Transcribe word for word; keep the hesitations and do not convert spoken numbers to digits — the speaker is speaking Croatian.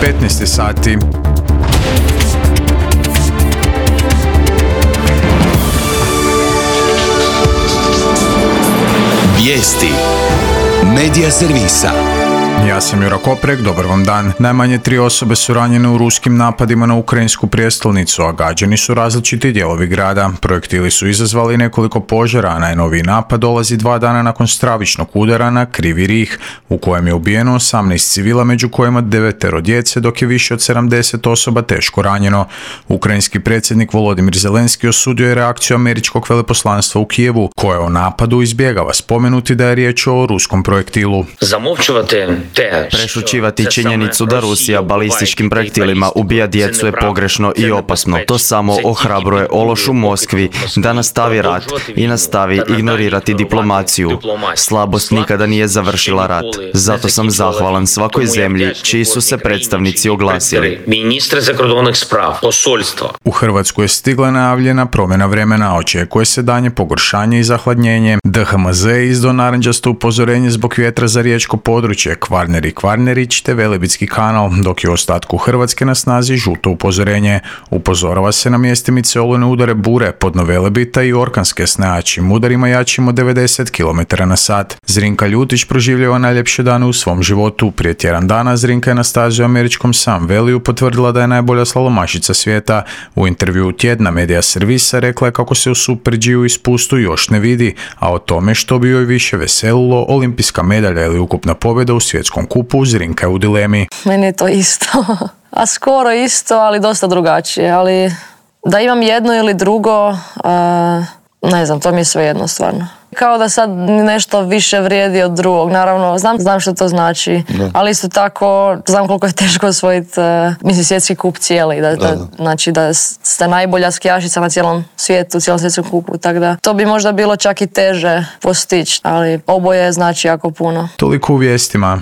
petnaest sati. Vijesti Medija servisa. Ja sam Jura Koprek, dobar vam dan. Najmanje tri osobe su ranjene u ruskim napadima na ukrajinsku prijestolnicu, a gađani su različiti dijelovi grada. Projektili su izazvali nekoliko požara, a najnoviji napad dolazi dva dana nakon stravičnog udara na Krivi Rih, u kojem je ubijeno osamnaest civila, među kojima devetero djece, dok je više od sedamdeset osoba teško ranjeno. Ukrajinski predsjednik Volodimir Zelenski osudio je reakciju američkog veleposlanstva u Kijevu, koje o napadu izbjegava spomenuti da je riječ o ruskom projektilu. Prešućivati činjenicu da Rusija balističkim projektilima ubija djecu je pogrešno i opasno. To samo ohrabruje ološ u Moskvi da nastavi rat i nastavi ignorirati diplomaciju. Slabost nikada nije završila rat. Zato sam zahvalan svakoj zemlji čiji su se predstavnici oglasili. U Hrvatsku je stigla najavljena promjena vremena, očekuje se danje pogoršanje i zahladnjenje. D H M Z je izdao narančasto upozorenje zbog vjetra za riječko područje, Kvarner i Kvarnerić te Velebitski kanal, dok je u ostatku Hrvatske na snazi žuto upozorenje. Upozorava se na mjestimice olujne udare bure pod Velebita i orkanske s najjačim udarima jačim od devedeset kilometara na sat. Zrinka Ljutić proživljava najljepše dane u svom životu. Prije tjedan dana Zrinka je na stazi u američkom Sun Valleyu potvrdila da je najbolja slalomašica svijeta. U intervjuu tjedna Medija servisa rekla je kako se u Super G-u i spustu još ne vidi, a o tome što bi joj više veselilo, olimpijska medalja ili ukupna pobjeda u svjetskom kupu, Zrinka je u dilemi. Meni je to isto, a skoro isto, ali dosta drugačije, ali da imam jedno ili drugo, uh, ne znam, to mi je svejedno stvarno. Kao da sad nešto više vrijedi od drugog, naravno, znam, znam što to znači, da. Ali isto tako znam koliko je teško osvojiti, uh, mislim, svjetski kup cijeli, da, da, da. Znači da ste najbolja skijašica na cijelom svijetu, cijelom svjetskom kupu, tako da to bi možda bilo čak i teže postići, ali oboje znači jako puno. Toliko u vijestima.